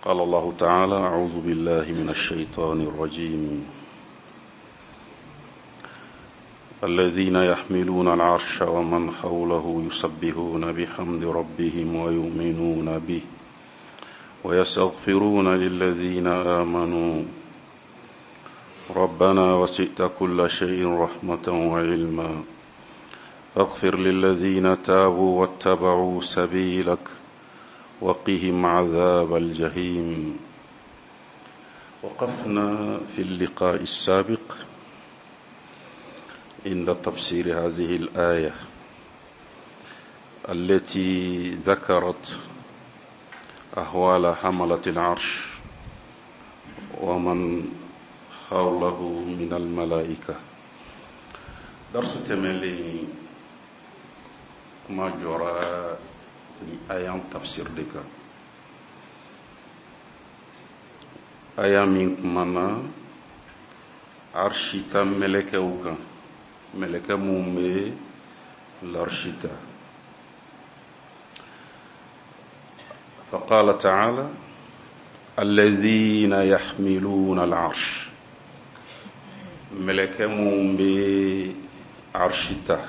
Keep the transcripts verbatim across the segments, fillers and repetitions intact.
قال الله تعالى: أعوذ بالله من الشيطان الرجيم. الذين يحملون العرش ومن حوله يسبحون بحمد ربهم ويؤمنون به ويستغفرون للذين آمنوا ربنا وسعت كل شيء رحمة وعلما فاغفر للذين تابوا واتبعوا سبيلك وقهم عذاب الجحيم. وقفنا في اللقاء السابق عند تفسير هذه الآية التي ذكرت أهوال حملة العرش ومن حوله من الملائكة. درس تملي ما جرى آيان تفسير ديكا آيان من كمانا عرشتا ملكة وكا ملكة مومي العرشتا. فقال تعالى: الذين يحملون العرش. ملكة مومي عرشتا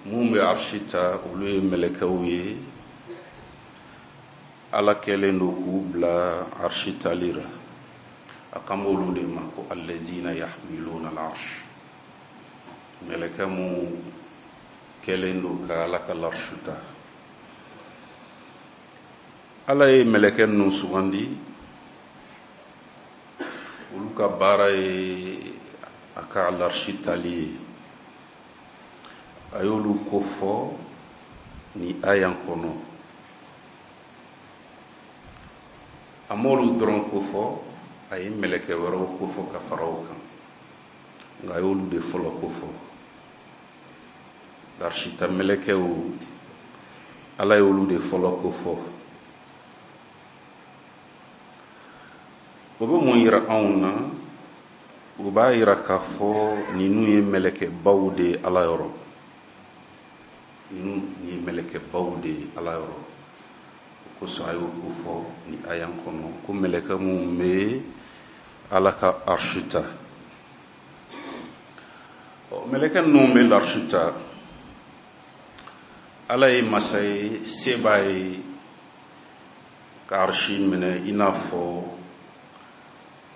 mun bɛ arshi ta olu ye mɛlɛkɛw ye Ala kɛlen don k'u bila arshi tali la. A kan b'olu de ma ko allazina yahmiluna al-arsh, mɛlɛkɛ mun kɛlen don ka Ala ka l'arshi ta. Ala ye mɛlɛkɛ ninnu sugandi, olu ka baara ye a ka l'arshi tali ye. A y'olu ko fɔ ni ayan kɔnɔ. A m'olu dɔrɔn ko fɔ, a ye mɛlɛkɛ wɛrɛw ko fɔ ka fara o kan, nka a y'olu de fɔlɔ ko fɔ. Arsita mɛlɛkɛw, Ala y'olu de fɔlɔ ko fɔ. O bɛ mun yira anw na? O b'a yira k'a fɔ ninnu ye mɛlɛkɛbaw de ye Ala yɔrɔ. Ninnu ye mɛlɛkɛbaw de ye Ala yɔrɔ. O kosɔn a y'o ko fɔ ni ayan kɔnɔ ko mɛlɛkɛ minnu bɛ Ala ka arshi ta. Ɔ, mɛlɛkɛ ninnu bɛ l'arshi ta, Ala ye masa ye, se b'a ye ka arshi minɛ i n'a fɔ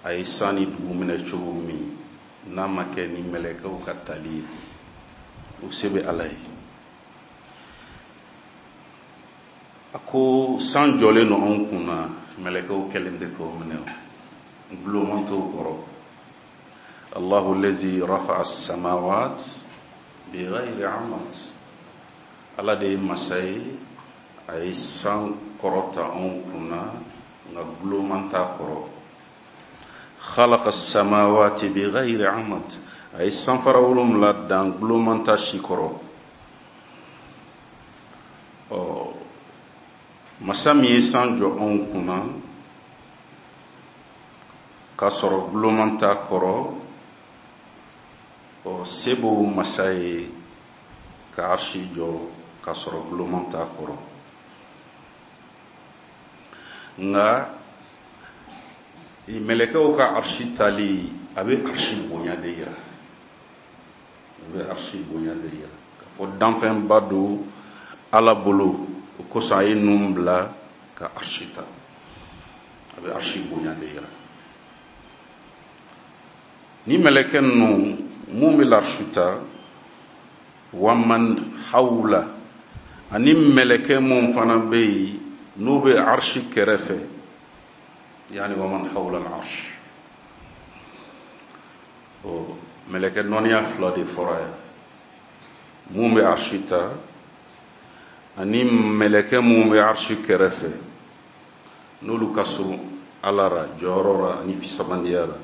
a ye san ni dugu minɛ cogo min, n'a ma kɛ ni mɛlɛkɛw ka tali ye, o se bɛ Ala ye. A ko san jɔlen don anw kun na, mɛlɛkɛw kɛlen tɛ k'o minɛ, gulonman t'o kɔrɔ. Allahu lazi rafa'a as-samawat bighayri amad. Ala de ye masa ye, a ye san kɔrɔta anw kun na, nka gulonman t'a kɔrɔ. Khalaqa as-samawati bighayri amad. A ye sanfara wolonwula dan gulonman t'a si kɔrɔ. Ɔ, masa min ye san jɔ anw kunna k'a sɔrɔ gulonman t'a kɔrɔ, ɔ, se b'o masa ye ka arshi jɔ k'a sɔrɔ gulonman t'a kɔrɔ. Nka mɛlɛkɛw ka arshi tali, a bɛ arshi bonya de yira. A bɛ arshi bonya de yira k'a fɔ danfɛnba don Ala bolo, o kosɔn a ye ninnu bila ka arshi ta. A bɛ arshi bonya de yira. Ni mɛlɛkɛ ninnu mun bɛ l'arshi ta, waman hawla, ani mɛlɛkɛ mun fana bɛ yen n'o bɛ arshi kɛrɛfɛ, yani waman hawla al-arsh. O mɛlɛkɛ nɔniya fila de fɔra yan, mun bɛ arshi ta ani mɛlɛkɛ mun bɛ arshi kɛrɛfɛ, n'olu ka surun Ala ra, jɔyɔrɔ ra ani fisabandiya la.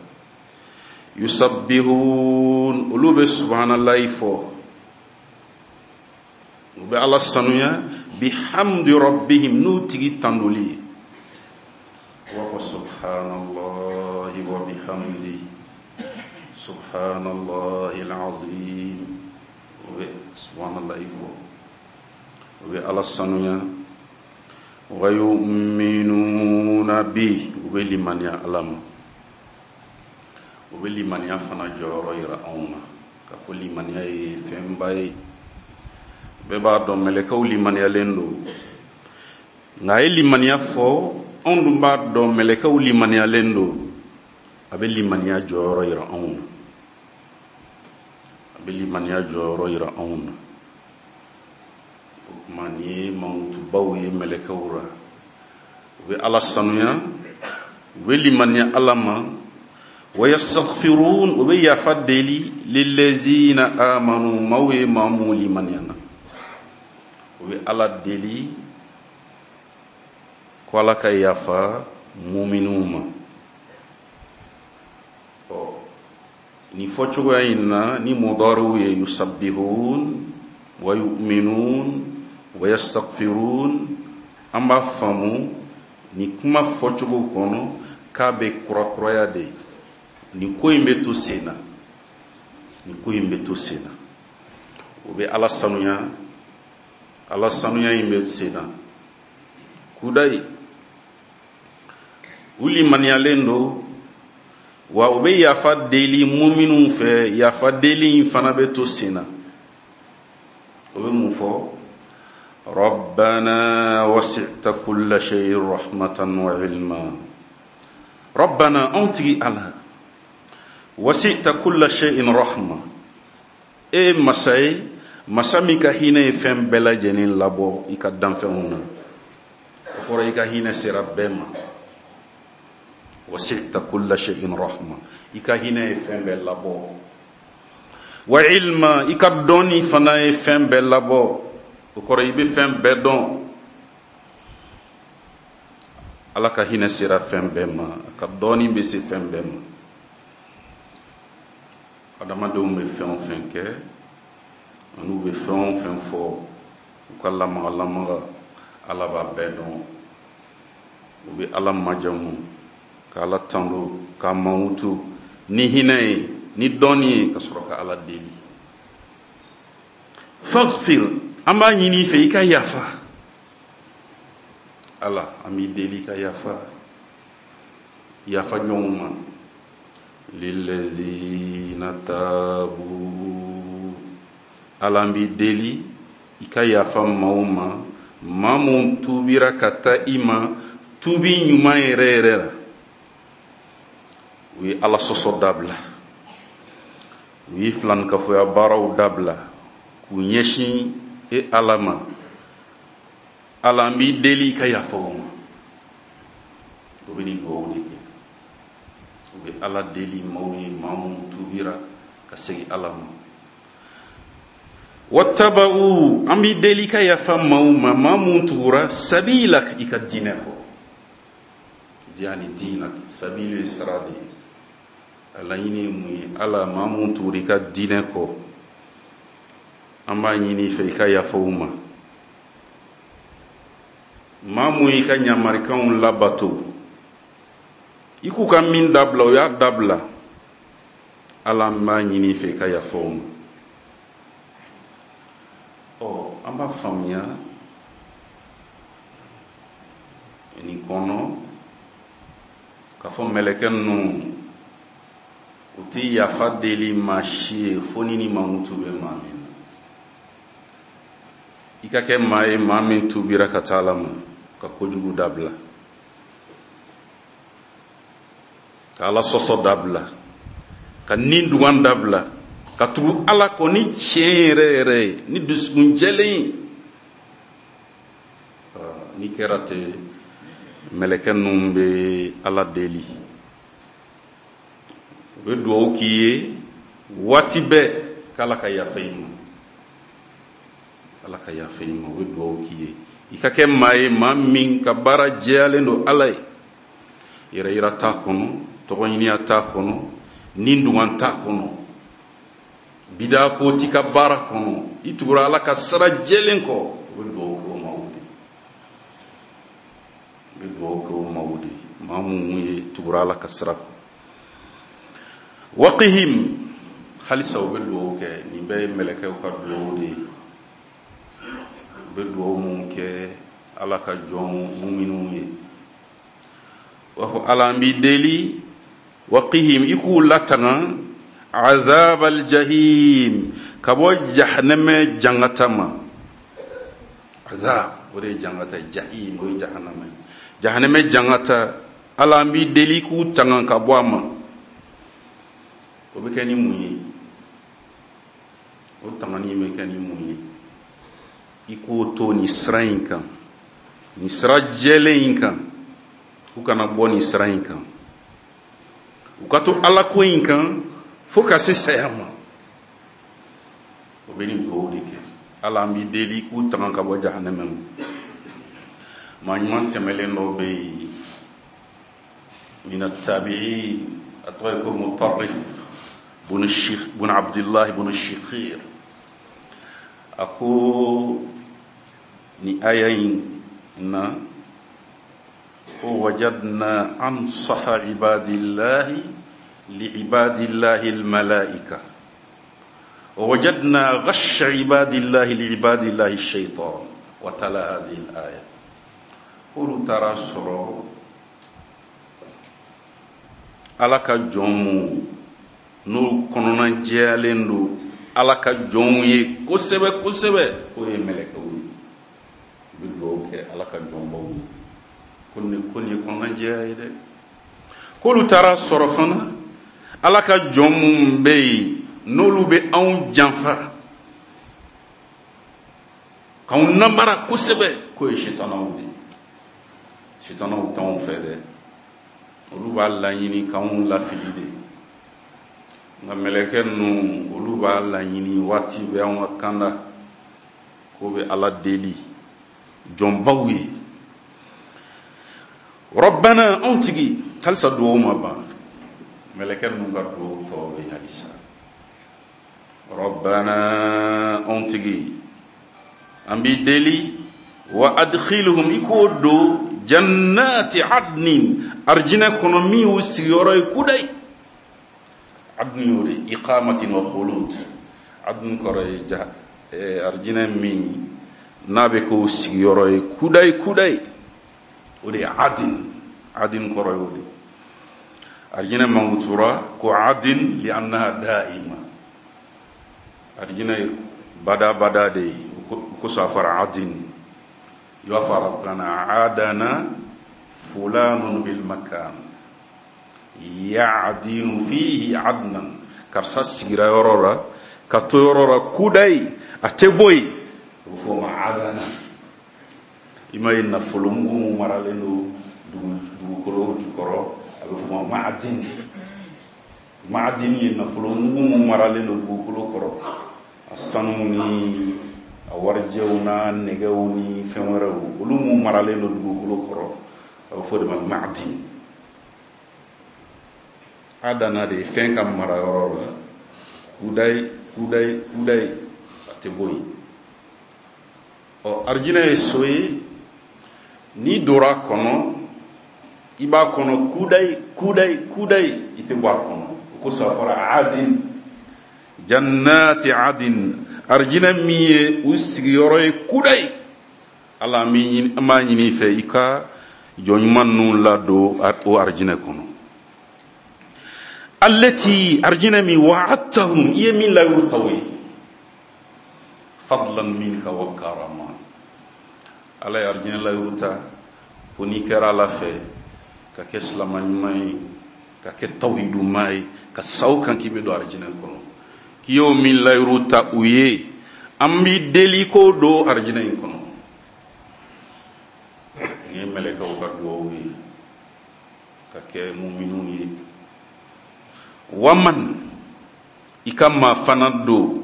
Yusabbihun, olu bɛ subhanallahi fɔ, u bɛ Ala sanuya, bihamdi rabbihim, n'u tigi tandoli ye. U b'a fɔ subhanallahi wa bihamdi, subhanallahi al-azim. U bɛ subhanallahi fɔ, u bɛ Ala sanuya. Wa yu'minuna bi, u bɛ limaniya Ala ma. U bɛ limaniya fana jɔyɔrɔ yira anw na, k'a fɔ limaniya ye fɛnba ye. Bɛɛ b'a dɔn mɛlɛkɛw limaniyalen don, nka a ye limaniya fɔ, anw dun b'a dɔn mɛlɛkɛw limaniyalen don. A bɛ limaniya jɔyɔrɔ yira anw na, a bɛ limaniya jɔyɔrɔ yira anw na. O tuma nin ye mankutubaw ye mɛlɛkɛw la. U bɛ Ala sanuya, u bɛ limaniya Ala ma. Wa yastaghfirun, u bɛ yafa deli lillazina amanu, maaw ye maa minnu limaniyana, u bɛ Ala deli ko Ala ka yafa muminuw ma. Ɔ nin fɔcogoya in na ni mudariw ye yusabbihun wa yu'minun wa yastaghfirun, an b'a faamu ni kuma fɔcogo kɔnɔ k'a bɛ kurakuraya de. Nin ko in bɛ to sen na, nin ko in bɛ to sen na. U bɛ Ala sanuya, Ala sanuya in bɛ sen na. Kudayi, u limaniyalen don, wa u bɛ yafa deli muminuw fɛ, yafa deli in fana bɛ to sen na. O bɛ mun fɔ? Rabbana wasi'ta kulla shay'in rahmatan wa ilma. Rabbana, anw tigi Ala, wasi'ta kulla shay'in rahma, e masa ye, masa min ka hinɛ ye fɛn bɛɛ lajɛlen labɔ i ka danfɛnw na. O kɔrɔ i ka hinɛ sera bɛɛ ma. Wasi'ta kulla shay'in rahma, i ka hinɛ ye fɛn bɛɛ labɔ. Wa ilma, i ka dɔnni fana ye fɛn bɛɛ labɔ. O kɔrɔ i bɛ fɛn bɛɛ dɔn. Ala ka hinɛ sera fɛn bɛɛ ma, a ka dɔnni bɛ se fɛn bɛɛ ma. Adamadenw bɛ fɛn o fɛn kɛ, an'u bɛ fɛn o fɛn fɔ, u ka lamaga lamaga, Ala b'a bɛɛ dɔn. U bɛ Ala majamu, ka Ala tando, k'a mankutu ni hinɛ ye, ni dɔnni ye, ka sɔrɔ ka Ala deli. Faghfir, an b'a ɲini i fɛ i ka yafa. Ala, an b'i deli i ka yafa, yafa ɲɔgɔn ma. Lillazina tabu, Ala an b'i deli i ka yafa maaw ma, maa mun tuubira ka taa i ma tuubi ɲuman yɛrɛ yɛrɛ la. U ye Ala sɔsɔ dabila, u ye filankafoya baaraw dabila, k'u ɲɛsin e Ala ma. Ala an b'i deli i ka yafa u ma. O bɛ nin dugawu de kɛ. U bɛ Ala deli maaw ye, maa minnu tuubira ka segin Ala ma. Wattaba'u, an b'i deli i ka yafa maaw ma, maa minnu tugura sabilak, i ka diinɛ kɔ. Yani diinak, sabilu ye sira de ye. A laɲini ye mun ye? Ala, maa minnu tugura i ka diinɛ kɔ, an b'a ɲini i fɛ i ka yafa u ma. Maa mun y'i ka ɲamarikanw labato, i k'u ka min dabila, u y'a dabila, Ala an b'a ɲini i fɛ i ka yafa u ma. Ɔ an b'a faamuya nin kɔnɔ k'a fɔ mɛlɛkɛ ninnu u tɛ yafa deli maa si ye fo ni ni mankutu bɛ maa min na. I ka kɛ maa ye, maa min tuubira ka taa Ala ma, ka kojugu dabila, ka Ala sɔsɔ dabila, ka nin dugan dabila, ka tugu Ala kɔ ni tiɲɛ yɛrɛ yɛrɛ ye, ni dusukun jɛlen ye. N'i kɛra ten, mɛlɛkɛ ninnu bɛ Ala deli, u bɛ dugawu k'i ye waati bɛɛ k'Ala ka yafa i ma, Ala ka yafa i ma. U bɛ dugawu k'i ye i ka kɛ maa ye, maa min ka baara jɛyalen don Ala ye, yɛrɛ yira t'a kɔnɔ, tɔgɔɲiniya t'a kɔnɔ, ni dugan t'a kɔnɔ, bidaa ko t'i ka baara kɔnɔ, i tugura Ala ka sira jɛlen kɔ. U bɛ dugawu kɛ o maaw de ye, u bɛ dugawu kɛ o maaw de ye, maa minnu ye tugura Ala ka sira kɔ. Waqihim, halisa u bɛ dugawu kɛ. Nin bɛɛ ye mɛlɛkɛw ka dugawu de ye. U bɛ dugawu mun kɛ Ala ka jɔn muminuw ye. U b'a fɔ Ala an b'i deli waqihim i k'u latanga azab aljahim ka bɔ jahanama jangata ma. Azab o de ye jangata ye, jahim o ye jahanama ye, jahanama jangata Ala an b'i deli k'u tanga ka bɔ a ma. O bɛ kɛ ni mun ye? O tangani bɛ kɛ ni mun ye? I k'o to nin sira in kan, nin sira jɛlen in kan, u kana bɔ nin sira in kan, u ka to Ala ko in kan fo ka se saya ma. O bɛ nin dugawu de kɛ. Ala an b'i deli k'u tanga ka bɔ jahanama ma. Maa ɲuman tɛmɛlen dɔw bɛ yen min at-tabi'in, a tɔgɔ ye ko Mutarrif bun Sheikh bun Abdullah bun Shikhir. A ko ni aya in na ko wajadna ansaha ibadillahi liibadillahi almalaika wa wajadna ghasha ibadillahi liibadillahi ash-shaytan wa tala hadhihi al-aya. K'olu taara sɔrɔ Ala ka jɔn mun n'o kɔnɔna jɛyalen don Ala ka jɔnw ye kosɛbɛ kosɛbɛ, k'o ye mɛlɛkɛw ye. U bɛ dugawu kɛ Ala ka jɔnbaw ye ko nin ko nin ye kɔnɔnajɛya ye dɛ. K'olu taara sɔrɔ fana Ala ka jɔn mun bɛ yen n'olu bɛ anw janfa k'anw namara kosɛbɛ, k'o ye sitanaw de ye. Sitanaw t'anw fɛ dɛ, olu b'a laɲini k'anw lafili de. Nka mɛlɛkɛ ninnu olu b'a laɲini waati bɛɛ anw ka kanda k'o bɛ Ala deli jɔnbaw ye. Rabbana anw tigi, halisa duwawu ma ban, mɛlɛkɛ ninnu ka duwawu tɔ bɛ halisa. Rabbana anw tigi, an b'i deli wa adkhilhum i k'o don jannati adnin arjinɛ kɔnɔ min y'u sigiyɔrɔ ye kudayi. Adn y'o de iqamatin wa khulud. Adn kɔrɔ ye ja arjinɛ min n'a bɛ k'o sigiyɔrɔ ye kudayi kudayi, o de ye adin. Adin kɔrɔ y'o de. Arjinɛ mankutura ko adin li annaha da'ima, arjinɛ ye badabada de ye, o kosɔn a fɔra adin. I b'a fɔ arabukan na adana fulanun bil makan ya'dinu fihi adnan, karisa sigira yɔrɔ la ka to yɔrɔ la kudayi, a tɛ bɔ yen, o bɛ fɔ o ma adana. I m'a ye nafolo mugu mun maralen don dugukolo jukɔrɔ, a bɛ fɔ o ma ma'adin. Ma'adin ye nafolo mugu mun maralen don dugukolo kɔrɔ, a sanu ni a warijɛw n'a nɛgɛw ni fɛn wɛrɛw, olu mun maralen don dugukolo kɔrɔ, a bɛ fɔ o de ma ma'adin. Adana de ye fɛn ka mara yɔrɔ la kudayi kudayi kudayi, a tɛ bɔ yen. Ɔ arijinɛ ye so ye, n'i donna a kɔnɔ i b'a kɔnɔ kudayi kudayi kudayi, i tɛ bɔ a kɔnɔ. O kosɔn a fɔra adin, jannati adin, arijinɛ min ye u sigiyɔrɔ ye kudayi. Ala an b'a ɲini i fɛ i ka jɔn ɲuman ninnu ladon o arijinɛ kɔnɔ. Allati arijinɛ min wa'adtahum, i ye min layiru ta u ye, fadlan minka wa karama. Ala ye arijinɛ layiru ta ko n'i kɛra Ala fɛ ka kɛ silama ɲuman ye, ka kɛ tawhiduma ye, ka sa o kan k'i bɛ don arijinɛ kɔnɔ, k'i y'o min layiru ta u ye, an b'i deli k'o don arijinɛ in kɔnɔ. Nin ye mɛlɛkɛw ka duwawu ye ka kɛ muminuw ye. Waman i ka maa fana don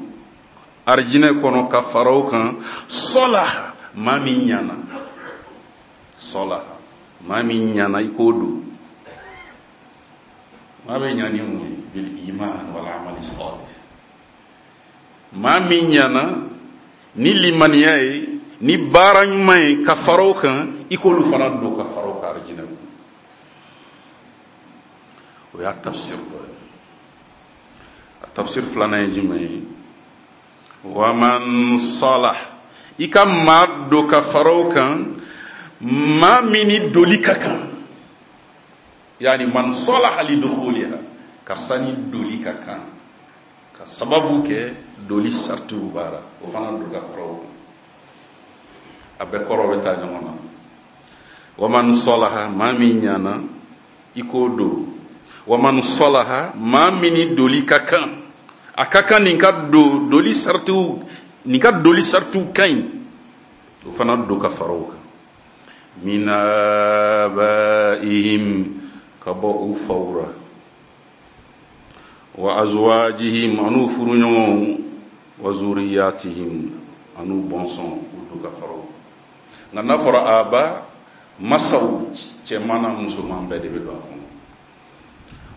arijinɛ kɔnɔ ka fara o kan, sɔlaha maa min ɲana, sɔlaha maa min ɲana i k'o don. Maa bɛ ɲa ni mun ye? Bil iman wal amali salih. Maa min ɲana ni limaniya ye, ni baara ɲuman ye ka fara o kan, i k'olu fana don ka fara o kan arijinɛ kɔnɔ. O y'a tafsir dɔ ye. A tafsir filanan ye jumɛn ye? Waman salah, i ka maa don ka fara o kan, Maa min ni doli ka kan, yani man salaha li dukhuliha, karisa ni doli ka kan ka sababu kɛ doli sartiw b'a la, o fana don ka fara o kan. A bɛɛ kɔrɔ bɛ taa ɲɔgɔn na. Wa man salaha, maa min ɲana i k'o don. Wa man salaha, maa min ni doli ka kan, a ka kan nin ka don doli sartiw, nin ka doli sartiw ka ɲi, o fana don ka fara o kan. Min abaihim, ka bɔ u faw ra, wa azwajihim, an'u furuɲɔgɔnw, wa zuriyatihim, an'u bɔnsɔn, u don ka fara o kan. Nka n'a fɔra aba, masaw cɛman n'a musoman bɛɛ de bɛ don a kɔnɔ.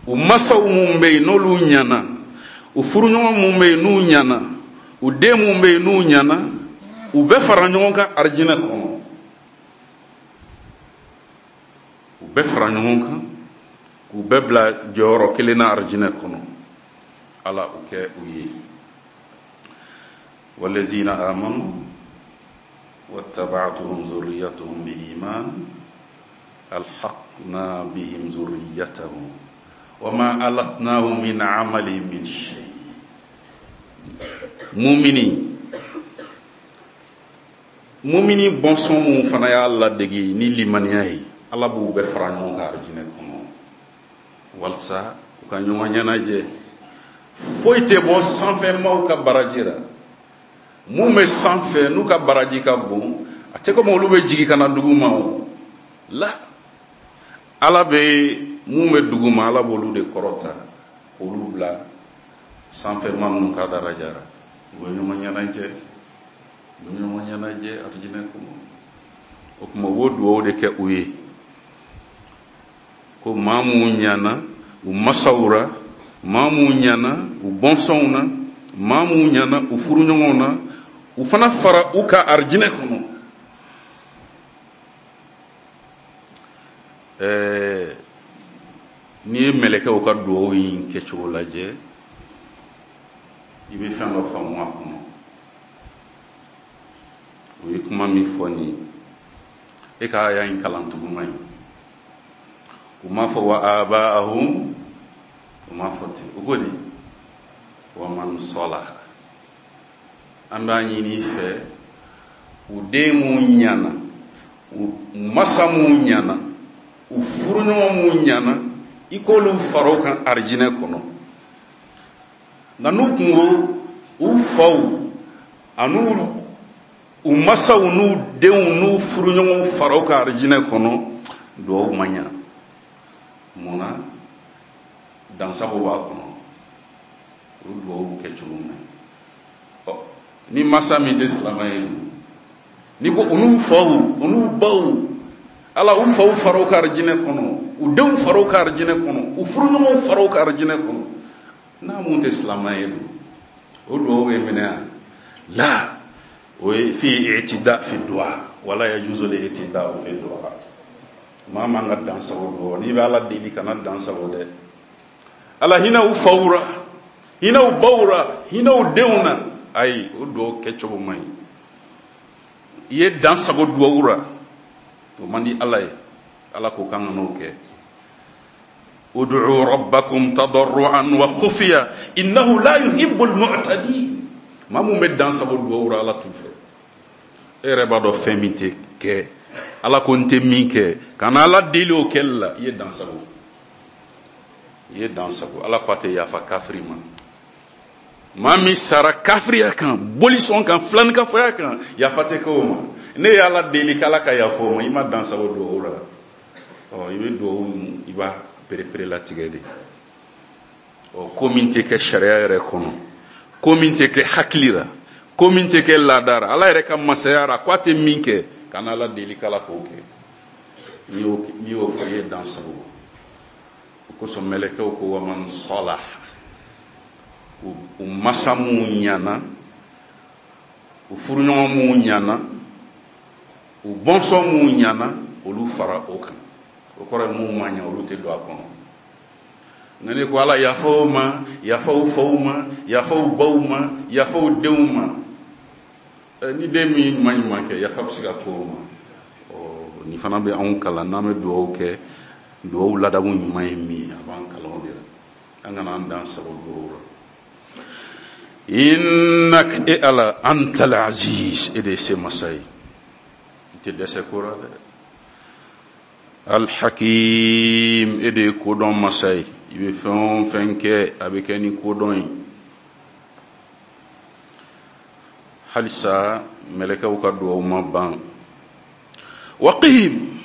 U masaw mun bɛ yen n'olu ɲana, u furuɲɔgɔn mun bɛ yen n'u ɲana, u den mun bɛ yen n'u ɲana, u bɛɛ fara ɲɔgɔn kan arijinɛ kɔnɔ. U bɛɛ fara ɲɔgɔn kan k'u bɛɛ bila jɔyɔrɔ kelen na arijinɛ kɔnɔ. Ala o kɛ u ye. Walazina amanu wattaba'tuhum zurriyatuhum bi iman alhaqna bihim zurriyatahum wama alatnahum min amalihim min shay. Mumini mumini bɔnsɔn mun fana y'a ladege ni limaniya ye, Ala b'u bɛɛ fara ɲɔgɔn kan arijinɛ kɔnɔ walasa u ka ɲɔgɔn ɲɛnajɛ. Foyi tɛ bɔ sanfɛ maaw ka baraji la. Mun bɛ sanfɛ n'u ka baraji ka bon, a tɛ komi olu bɛ jigin ka na dugu ma o la. Ala bɛ mun bɛ dugu ma, Ala b'olu de kɔrɔta k'olu bila sanfɛ maa minnu ka daraja la. U bɛ ɲɔgɔn ɲɛnajɛ, u bɛ ɲɔgɔn ɲɛnajɛ arijinɛ kɔnɔ. O tuma u b'o dugawu de kɛ u ye ko maa mun ɲana u masaw ra, maa mun ɲana u bɔnsɔnw na, maa mun ɲana u furuɲɔgɔnw na, u fana fara u ka arijinɛ kɔnɔ. Ɛɛ n'i ye mɛlɛkɛw ka dugawu in kɛcogo lajɛ, i bɛ fɛn dɔ faamu a kɔnɔ. U ye kuma min fɔ nin ye, e ka aya in kalan tugu man ɲi. U m'a fɔ wa abaahum, u m'a fɔ ten. U ko di wa man salaha. An b'a ɲini i fɛ, u den mun ɲana, u masa mun ɲana, u furuɲɔgɔn mun ɲana, i k'olu fara o kan arijinɛ kɔnɔ. Nka n'u kun ko u faw an'u u masaw n'u denw n'u furuɲɔgɔnw fara o kan arijinɛ kɔnɔ, duwawu ma ɲa. Mun na? Dansago b'a kɔnɔ. O duwawu kɛcogo man ɲi. Ɔ ni masa min tɛ silamɛ ye, n'i ko u n'u faw u n'u baw, Ala u faw fara o kan arijinɛ kɔnɔ, u denw fara o kan arijinɛ kɔnɔ, u furuɲɔgɔnw fara o kan arijinɛ kɔnɔ, n'a mun tɛ silamɛ ye dun, o duwawu bɛ minɛ yan la. O ye fi i'tida fi du'a, wala yajuzu li i'tida fi du'a. Maa man ka dansago duwawu, n'i bɛ Ala deli kana dansago dɛ. Ala hinɛ u faw ra, hinɛ u baw ra, hinɛ u denw na, ayi o duwawu kɛcogo man ɲi. I ye dansago duwawu ra, o man di Ala ye. Ala ko k'an ka n'o kɛ. Ud'u rabbakum tadarruan wa khufiya innahu la yuhibbul mu'tadin. Maa mun bɛ dansago duwawu ra, Ala t'u fɛ. E yɛrɛ b'a dɔn fɛn min tɛ kɛ, Ala ko n tɛ min kɛ, kana Ala deli o kɛli la, i ye dansago, i ye dansago. Ala ko a tɛ yafa kafiri ma. Maa min sara kafiriya kan, bolisɔn kan, filaninkafoya kan, yafa tɛ kɛ o ma. Ne ye Ala deli k'Ala ka yafa o ma, i ma dansago duwawu la. Ɔ i bɛ duwawu, i b'a perepere latigɛ de. Ɔ ko min tɛ kɛ sariya yɛrɛ kɔnɔ, ko min tɛ kɛ hakili la, ko min tɛ kɛ laada la, Ala yɛrɛ ka masaya la, k'a tɛ min kɛ, kana Ala deli k'Ala k'o kɛ. N'i y'o n'i y'o fɔ, i ye dansago. O kosɔn mɛlɛkɛw ko wa man salaha, u masa mun ɲana, u furuɲɔgɔn mun ɲana, u bɔnsɔn mun ɲana, olu fara o kan. O kɔrɔ ye mun ma ɲa, olu tɛ don a kɔnɔ. Nka ne ko Ala yafa o ma, yafa u faw ma, yafa u baw ma, yafa u denw ma. Ni den min ma ɲuman kɛ, yafa bɛ se ka k'o ma. Ɔ Nin fana bɛ anw kalan n'an bɛ dugawu kɛ, dugawu ladamu ɲuman ye min ye, a b'an kalan o de la. An kana an dan sago dugawu la. Innak e Ala antal aziz, e de ye se masa ye, i tɛ dɛsɛ ko la dɛ. Alhakim, e de ye kodɔn masa ye, i bɛ fɛn o fɛn kɛ a bɛ kɛ ni kodɔn ye. Halisa mɛlɛkɛw ka dugawu ma ban. Waqihim,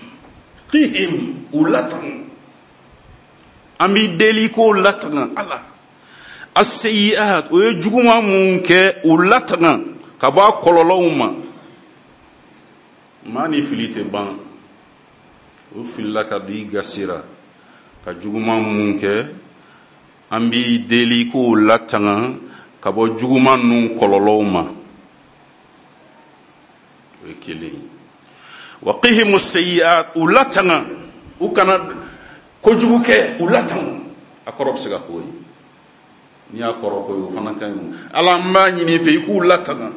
qihim, u latanga, an b'i deli k'o latanga Ala. As-sayyi'at, o ye juguman mun kɛ, u latanga ka bɔ a kɔlɔlɔw ma. Maa ni fili tɛ ban, o filila ka don i gasira ka juguman mun kɛ, an b'i deli k'o latanga ka bɔ juguman ninnu kɔlɔlɔw ma. O ye kelen ye. Waqihimu sayyi'at, u latanga, u kana kojugu kɛ, u latanga. A kɔrɔ bɛ se ka k'o ye, n'i y'a kɔrɔ ko ye o fana ka ɲi. Ala, n b'a ɲini i fɛ i k'u latanga,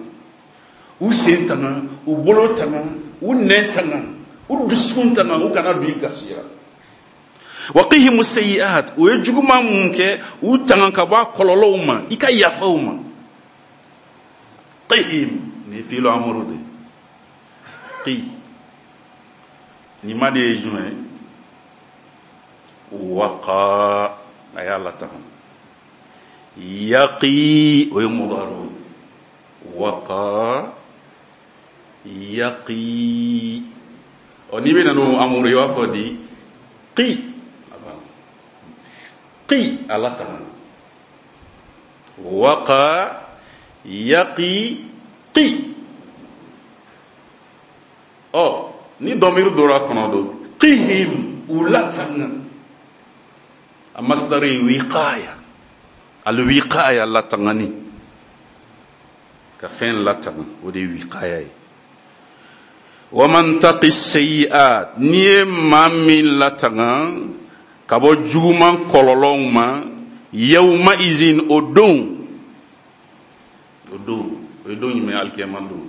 u sen tanga, u bolo tanga, u nɛn tanga, u dusukun tanga, u kana don i gasi la. Waqihimu sayyi'at, o ye juguman mun kɛ, u tanga ka bɔ a kɔlɔlɔw ma, i ka yafa u ma. Qihim, nin ye fiilu amuru de ye. Qi, nin ma de ye jumɛn ye? Waqa, a y'a latanga. Yaqi, o ye mudaro ye. Waqa yaqi. Ɔ, n'i bɛ na n'o amuru ye, i b'a fɔ di qi, qi, a latanga. Waqa yaqi qi. Ɔ, ni dɔmiri donna a kɔnɔ don, qihim, u latanga. A masdar ye wiqaya, alwiqaya, latangani, ka fɛn latanga, o de ye wiqaya ye. Wa man taqi sayyi'at, n'i ye maa min latanga ka bɔ juguman kɔlɔlɔw ma, yawma izin, o don, o don, o ye don jumɛn ye? Alikiyama don.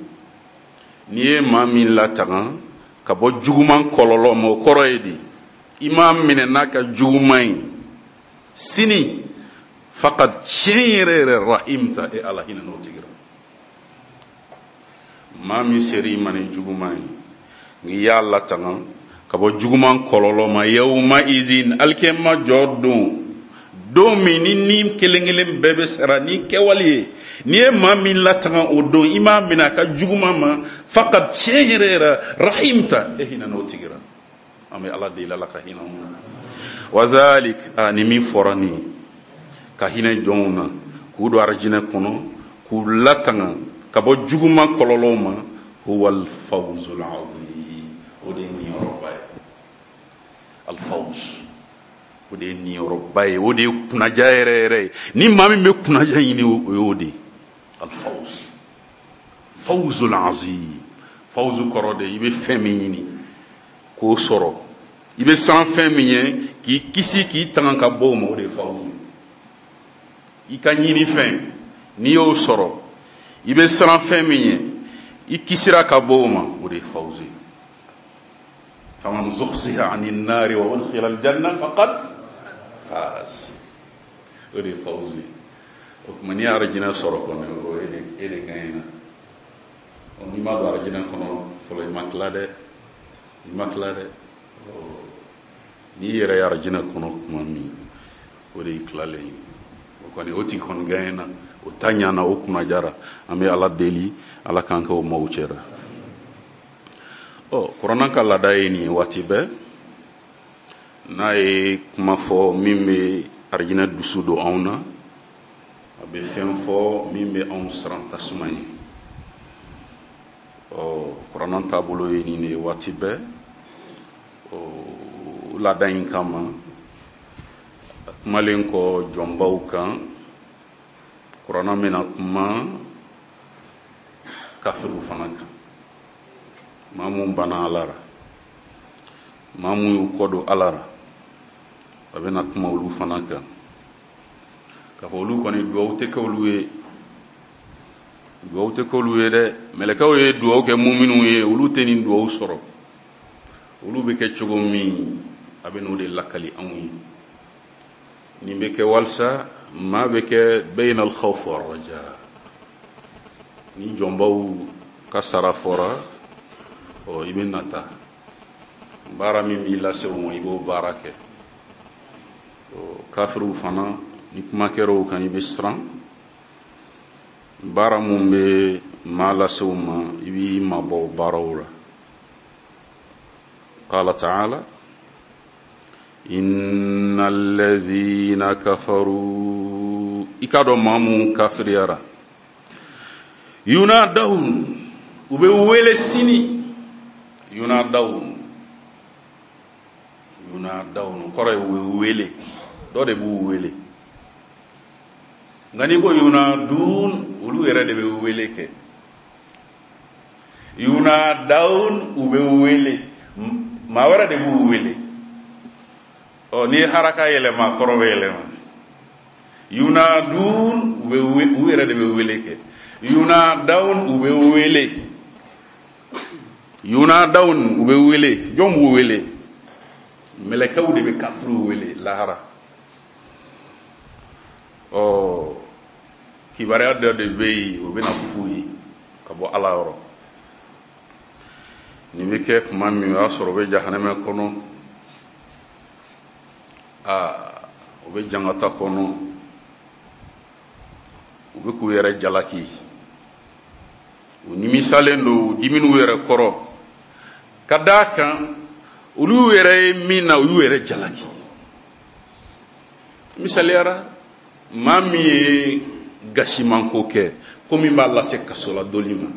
N'i ye maa min latanga ka bɔ juguman kɔlɔlɔ ma, o kɔrɔ ye di? I m'a minɛ n'a ka juguman ye sini, faqad, tiɲɛ yɛrɛ yɛrɛ, rahimta, e Ala hinɛ n'o tigi la. Maa min ser'i ma ni juguman ye, n'i y'a latanga ka bɔ juguman kɔlɔlɔ ma, yawma izin, alikiyama jɔ don, don min ni ni kelen kelen bɛɛ bɛ sara ni kɛwale ye, n'i ye maa min latanga o don, i m'a minɛ a ka juguman ma, faqad, tiɲɛ yɛrɛ yɛrɛ, rahimta, e hinɛ n'o tigi la. An bɛ Ala deli, Ala ka hinɛ anw na. Wa dhalik, a ni min fɔra nin ye, ka hinɛ jɔnw na, k'u don arijinɛ kɔnɔ, k'u latanga ka bɔ juguman kɔlɔlɔw ma, huwa al-fawzul azim, o de ye niyɔrɔba ye. Al-fawz, o de ye niyɔrɔba ye, o de ye kunnaja yɛrɛ yɛrɛ ye. Ni maa min bɛ kunnaja ɲini, o y'o de ye. Al-fawz, fawzul azim. Fawzu kɔrɔ de, i bɛ fɛn min ɲini k'o sɔrɔ, i bɛ siran fɛn min ɲɛ k'i kisi k'i tanga ka bɔ o ma, o de ye fawzu ye. I ka ɲini fɛn, n'i y'o sɔrɔ, i bɛ siran fɛn min ɲɛ, i kisira ka bɔ o ma, o de ye fawzu ye. Faman zuhziha ani nari wa udkhila aljanna faqad faz, o de ye fawzu ye. O tuma n'i ye arijinɛ sɔrɔ kɔni, o e de e de gagnera. Ɔ, n'i ma don arijinɛ kɔnɔ fɔlɔ, i ma tila dɛ, i ma tila dɛ. N'i yɛrɛ ye arijinɛ kɔnɔ tuma min, o de y'i tilalen ye. O kɔni, o tigi kɔni gagnera, o ta ɲana, o kunnajara. An bɛ Ala deli, Ala k'an kɛ o maaw cɛra. Ɔ, kuranna ka laada ye nin ye waati bɛɛ, n'a ye kuma fɔ min bɛ arijinɛ dusu don anw na, a bɛ fɛn fɔ min bɛ anw siran tasuma ye. Ɔ, kuranna taabolo ye nin de ye waati bɛɛ. Ɔ, laada in kama, a kumalen kɔ jɔnbaw kan, kuranna bɛna kuma kafiriw fana kan, maa mun banna Ala la, maa mun y'u kɔ don Ala la, a bɛna kuma olu fana kan, k'a fɔ olu kɔni duwawu tɛ kɛ olu ye, duwawu tɛ kɛ olu ye dɛ. Mɛlɛkɛw ye duwawu kɛ muminuw ye, olu tɛ nin duwawu sɔrɔ. Olu bɛ kɛ cogo min, a bɛ n'o de lakali anw ye. Nin bɛ kɛ walisa maa bɛ kɛ bayna al-khawf war-raja. Ni jɔnbaw ka sara fɔra, ɔ i bɛ nata. Baara min b'i lase o ma, i b'o baara kɛ. Ɔ kafiriw fana, ni kuma kɛra o kan, i bɛ siran. Baara mun bɛ maa lase o ma, i b'i mabɔ o baaraw la. Qala ta'ala innal ladhina kafaru, i k'a dɔn maa mun kafiriyara, yunadawun, u bɛ wele sini. Yunadawun, yunadawun kɔrɔ ye u bɛ wele, dɔ de b'u wele. Nka n'i ko yunadun, olu yɛrɛ de bɛ wele kɛ. Yunadawun, u bɛ wele, maa wɛrɛ de b'u wele. Ɔ n'i ye haraka yɛlɛma, kɔrɔ bɛ yɛlɛma. Yunadun, u bɛ u yɛrɛ de bɛ wele kɛ. Yunadawun, u bɛ wele. Yunadawun, u bɛ wele. Jɔn b'u wele? Mɛlɛkɛw de bɛ kafiriw wele lahara. Ɔ kibaruya dɔ de bɛ yen, o bɛna f'u ye ka bɔ Ala yɔrɔ. Nin bɛ kɛ tuma min, o y'a sɔrɔ o bɛ jahanama kɔnɔ, aa o bɛ jangata kɔnɔ, u bɛ k'u yɛrɛ jalaki, u nimisalen don, u dimin'u yɛrɛ kɔrɔ, ka d'a kan olu yɛrɛ ye min na, u y'u yɛrɛ jalaki. Misaliyara, maa min ye gasimanko kɛ, ko min b'a lase kaso la doli ma,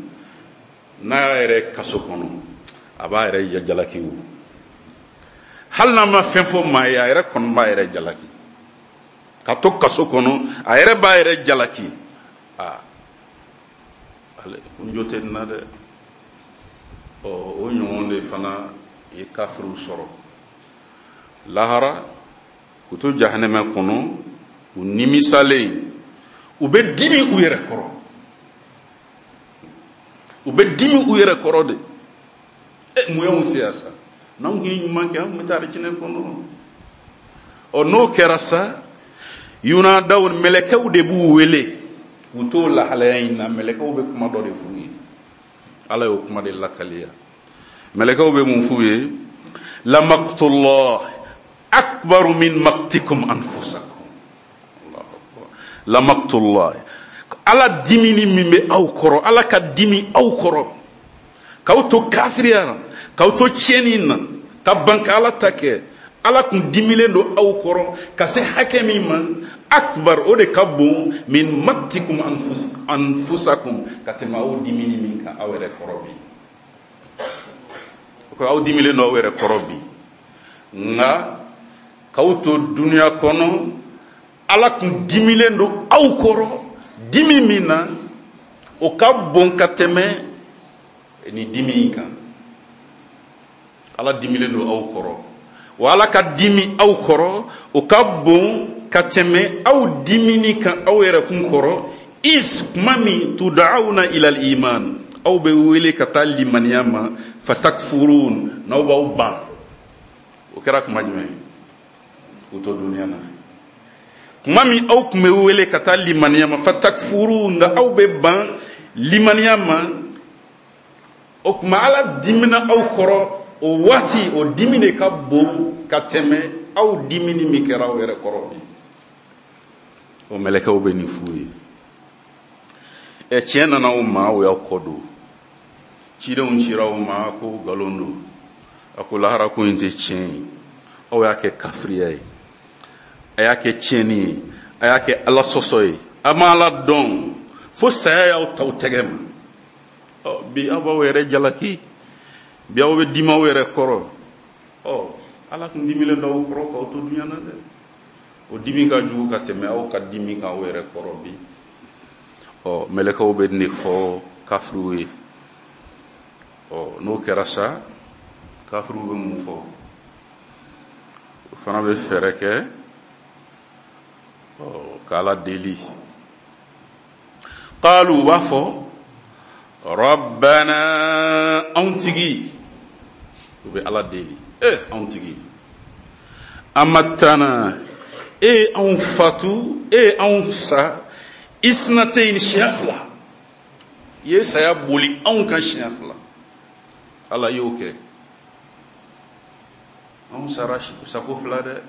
n'a y'a yɛrɛ kaso kɔnɔ, a b'a yɛrɛ jalaki o. Hali n'a ma fɛn fɔ maa ye, a yɛrɛ kɔni b'a yɛrɛ jalaki. Ka to kaso kɔnɔ, a yɛrɛ b'a yɛrɛ jalaki. Aa, ale kun jo tɛ nin na dɛ. Ɔ o ɲɔgɔn de fana ye kafiriw sɔrɔ lahara, k'u to jahanama kɔnɔ, u nimisalen, u bɛ dimi u yɛrɛ kɔrɔ. U bɛ dimi u yɛrɛ kɔrɔ de. E mun y'anw se yan sa? N'anw kun ye ɲuman kɛ, an kun bɛ taa alijinɛ kɔnɔ. Ɔ n'o kɛra sa, yunadaw, mɛlɛkɛw de b'u wele k'u t'o lahalaya in na. Mɛlɛkɛw bɛ kuma dɔ de f'u ye. Ala y'o kuma de lakaliya. Mɛlɛkɛw bɛ mun f'u ye? Lamaqtullah akbaru min maqtikum anfusakum. Lamaqtullah, Ala dimini min bɛ aw kɔrɔ, Ala ka dimi aw kɔrɔ, k'aw to kafiriya la, k'aw to tiɲɛni na, ka ban ka Ala ta kɛ, Ala kun dimilen don aw kɔrɔ ka se hakɛ min ma, akbar, o de ka bon min maqtikum anfusakum, ka tɛmɛ aw dimini min kan aw yɛrɛ kɔrɔ bi. O ko aw dimilen don aw yɛrɛ kɔrɔ bi, nka k'aw to dunuya kɔnɔ, Ala kun dimilen don aw kɔrɔ, dimi min na, o ka bon ka tɛmɛ ni dimi in kan. Ala dimilen don aw kɔrɔ, wa Ala ka dimi aw kɔrɔ, o ka bon ka tɛmɛ aw dimini kan aw yɛrɛ kun kɔrɔ. Is kuma min tud'auna ila al-iman, aw bɛ wele ka taa limaniya ma, fatakfurun, n'aw b'aw ban. O kɛra kuma jumɛn? K'u to dunuya na. Kuma min aw kun bɛ wele ka taa limaniya ma, fatakfuru, nka aw bɛ ban limaniya ma, o tuma Ala dimina aw kɔrɔ o waati, o dimi de ka bon ka tɛmɛ aw dimini min kɛra aw yɛrɛ kɔrɔ bi. O mɛlɛkɛw bɛ nin f'u ye. Ɛ tiɲɛ nana aw ma, o y'aw kɔ don. Cidenw cira aw ma ko nkalon don, a ko lahara ko in tɛ tiɲɛ ye, aw y'a kɛ kafiriya ye, a y'a kɛ tiɲɛni ye, a y'a kɛ Ala sɔsɔ ye, a ma Ala dɔn fo saya y'aw ta aw tɛgɛ ma. Ɔ bi aw b'aw yɛrɛ jalaki, bi aw bɛ dimi aw yɛrɛ kɔrɔ. Ɔ Ala kun dimilen don aw kɔrɔ k'aw to dunuya na dɛ. O dimi ka jugu ka tɛmɛ aw ka dimi kan aw yɛrɛ kɔrɔ bi. Ɔ mɛlɛkɛw bɛ nin de fɔ kafiriw ye. Ɔ n'o kɛra sa, kafiriw bɛ mun fɔ? O fana bɛ fɛɛrɛ kɛ k'Ala deli. Qalu, u b'a fɔ rabbana, anw tigi, U bɛ Ala deli, e anw tigi, amattana, e anw fatu, e anw sa, isnatayn, siɲɛ fila, i ye saya boli anw kan siɲɛ fila. Ala y'o kɛ, anw sara sako fila dɛ.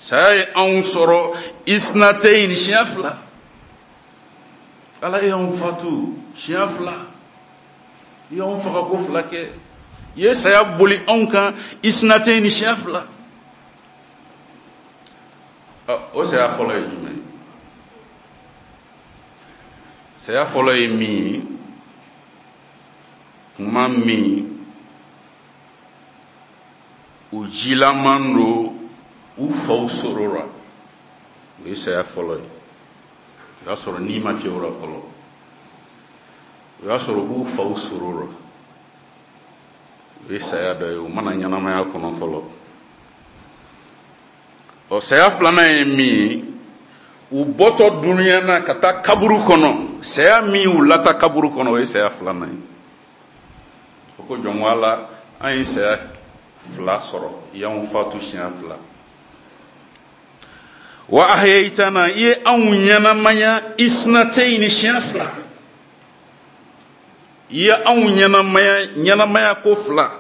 Saya ye anw sɔrɔ isnatayn, siɲɛ fila. Ala ye anw fatu siɲɛ fila, i y'anw faga ko fila kɛ, i ye saya boli anw kan isnatayn, siɲɛ fila. O saya fɔlɔ ye jumɛn ye? Saya fɔlɔ ye min ye, kuma min u jilaman don u faw sɔrɔ la, o ye saya fɔlɔ ye. O y'a sɔrɔ ni ma fiyɛ o la fɔlɔ, o y'a sɔrɔ u b'u faw sɔrɔ la, o ye saya dɔ ye, u mana ɲɛnamaya kɔnɔ fɔlɔ. Ɔ, saya filanan ye min ye, u bɔtɔ dunuya na ka taa kaburu kɔnɔ, saya min y'u lata kaburu kɔnɔ, o ye saya filanan ye. O ko jɔn ko Ala, an ye saya fila sɔrɔ, i y'anw fatu siɲɛ fila. Wa ahyaytana, i ye anw ɲɛnamaya isnatayni, siɲɛ fila, i ye anw ɲɛnamaya ɲɛnamaya ko fila.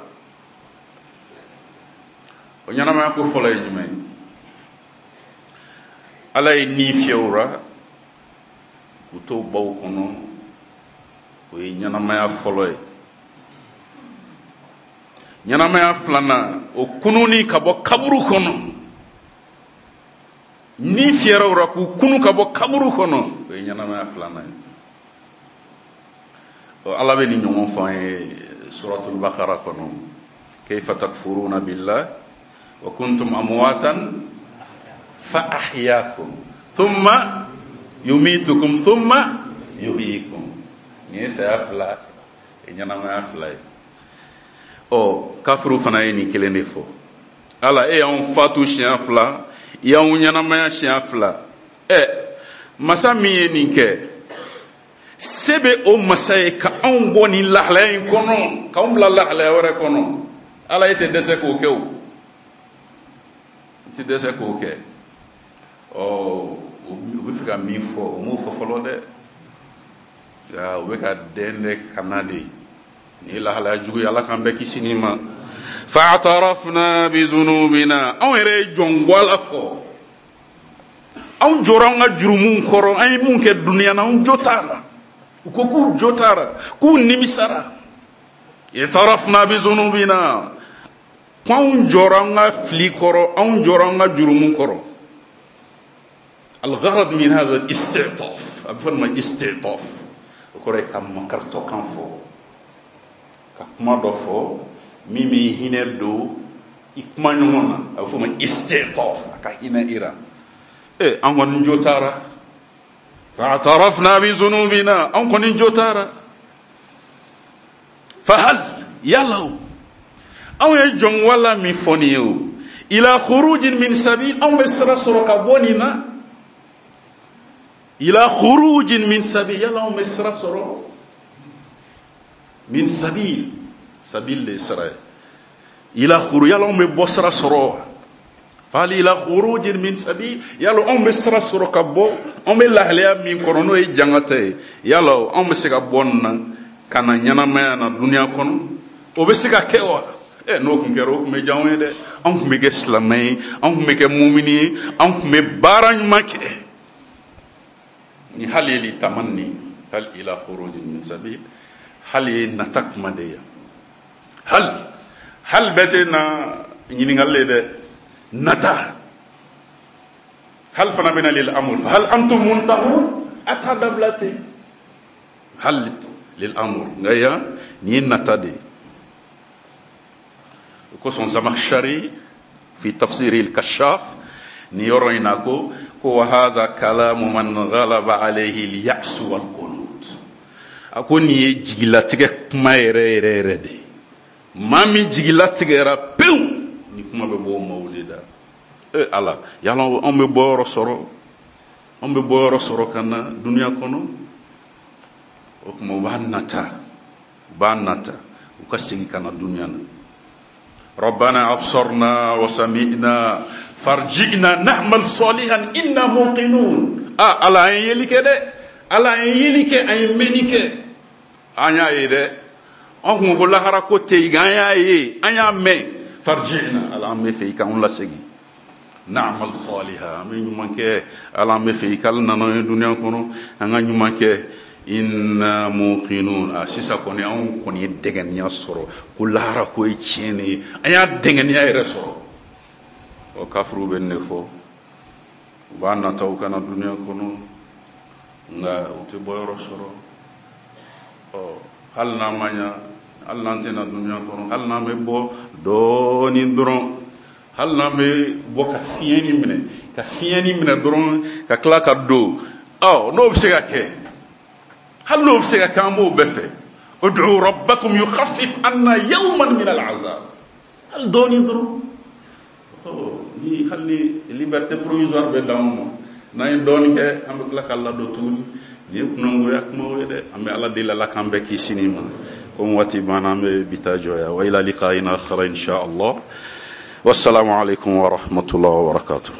O ɲɛnamaya ko fɔlɔ ye jumɛn ye? Ala ye ni fiyɛ u la k'u to baw kɔnɔ, o ye ɲɛnamaya fɔlɔ ye. Ɲɛnamaya filanan, o kununi ka bɔ kaburu kɔnɔ, ni fiyɛra u la k'u kunu ka bɔ kaburu kɔnɔ, o ye ɲɛnamaya filanan ye. Ɔ, Ala bɛ nin ɲɔgɔn fɔ an ye suratul Bakara kɔnɔ, kayfa takfuruna billah wa kuntum amwatan fa ahyakum thumma yumitukum thumma yuhyikum. Nin ye saya fila ye, ɲɛnamaya fila ye. Ɔ, kafiru fana ye nin kelen de fɔ. Ala, e y'anw fatu siɲɛ fila, i y'anw ɲɛnamaya siɲɛ fila. Ɛ, masa min ye nin kɛ, se bɛ o masa ye ka anw bɔ nin lahalaya in kɔnɔ, k'anw bila lahalaya wɛrɛ kɔnɔ. Ala, e tɛ dɛsɛ k'o kɛ o, i tɛ dɛsɛ k'o kɛ. Ɔ, u bɛ fɛ ka min fɔ, u m'o fɔ fɔlɔ dɛ. Nka u bɛ ka dɛn dɛ ka na de. Nin ye lahalaya jugu ye, Ala k'an bɛɛ kisi nin ma. Fa'atarafna bi zunubina, anw yɛrɛ ye jɔn gwala fɔ, anw jɔra an ka jurumuw kɔrɔ, an ye mun kɛ dunuya na, anw jo t'a la. U ko k'u jo t'a la, k'u nimisara. Itarafna bi zunubina, k'anw jɔra an ka fili kɔrɔ, anw jɔra an ka jurumu kɔrɔ. Al-gharad min hadha al-isti'taf, a bɛ fɔ nin ma isti'taf, o kɔrɔ ye ka makaritɔ kan fɔ, ka kuma dɔ fɔ min bɛ hinɛ don i kuma ɲɔgɔn na, a bɛ fɔ o ma isti'taf, a ka hinɛ i la. E, an kɔni jo taara. Fa'atarafna bi zunubina, an kɔni jo taara. Fahal, yala o, anw ye jɔn wala min fɔ nin ye o, ila khurujin min sabil, anw bɛ sira sɔrɔ ka bɔ nin na. Ila khurujin min sabil, yala anw bɛ sira sɔrɔ min sabil, sabil de ye sira ye. Ila khuru, yala anw bɛ bɔ sira sɔrɔ. Fali ila khurujin min sabil, yala anw bɛ sira sɔrɔ ka bɔ, anw bɛ lahalaya min kɔnɔ n'o ye jangata ye, yala anw bɛ se ka bɔ nin na ka na ɲɛnamaya na dunuya kɔnɔ, o bɛ se ka kɛ wa? Ɛ, n'o tun kɛra, o tun bɛ diya anw ye dɛ. Anw tun bɛ kɛ silamɛ ye, anw tun bɛ kɛ mumini ye, anw tun bɛ baara ɲuman kɛ. Ni hali ye li tamanni, hal ila khurujin min sabil, hali ye nata kuma de ye. Hal, hal bɛɛ tɛ na ɲininkali ye dɛ, nata. Hal fana bɛ na lil amr, hal antum muntahun, a t'a dabila ten. Hal lil amr, nka yan nin ye nata de ye. O kosɔn Zamakhshari fi tafsiri al-Kashaf nin yɔrɔ in na ko ko wa hadha kalamu man ghalaba alayhi al-ya'su wal-qunut. A ko nin ye jigilatigɛ kuma yɛrɛ yɛrɛ yɛrɛ de ye. Maa min jigilatigɛra pewu, ni kuma bɛ bɔ o maaw de da. E Ala, yala anw bɛ bɔ yɔrɔ sɔrɔ, anw bɛ bɔ yɔrɔ sɔrɔ ka na dunuya kɔnɔ? O tuma u b'a nata, u b'a nata, u ka segin ka na dunuya na. Rabbana absarna wa sami'na farji'na na'mal salihan inna muqinun. Ah, Ala an ye yeli kɛ dɛ, Ala an ye yeli kɛ, an ye mɛnni kɛ, an y'a ye dɛ. An kun ko lahara ko tɛ yen, an y'a ye, an y'a mɛn. Farji'na, Ala an bɛ fɛ i k'anw lasegin. Na'mal salihan, an bɛ ɲuman kɛ. Ala an bɛ fɛ i k'ale nana ye dunuya kɔnɔ, an ka ɲuman kɛ. Inna muqinun. A sisan kɔni anw kɔni ye dɛngɛniya sɔrɔ ko lahara ko ye tiɲɛ de ye, an y'a dɛngɛniya yɛrɛ sɔrɔ. Ɔ kafiruw bɛ nin de fɔ, u b'a nata u kana dunuya kɔnɔ, nka u tɛ bɔyɔrɔ sɔrɔ. Ɔ hali n'an ma ɲa, hali n'an tɛna dunuya kɔnɔ, hali n'an bɛ bɔ dɔɔnin dɔrɔn, hali n'an bɛ bɔ ka fiɲɛni minɛ, ka fiɲɛni minɛ dɔrɔn ka tila ka don, ɔ n'o bɛ se ka kɛ, hali n'o bɛ se ka kɛ, an b'o bɛɛ fɛ. Ud'u rabbakum yukhaffif anna yawman min al'azab, hali dɔɔnin dɔrɔn. Ɔ ni hali ni liberté provisoire bɛ d'anw ma, n'an ye dɔɔnin kɛ, an bɛ tila ka ladon tuguni. Nin ye kunangoya kumaw ye dɛ. An bɛ Ala deli, Ala k'an bɛɛ kisi nin ma. Komi waati banna, an bɛ bi ta jɔ yan. Wa ila liqa'in akhar insha Allah. Wassalamu alaikum wa rahmatullahi wa barakatuh.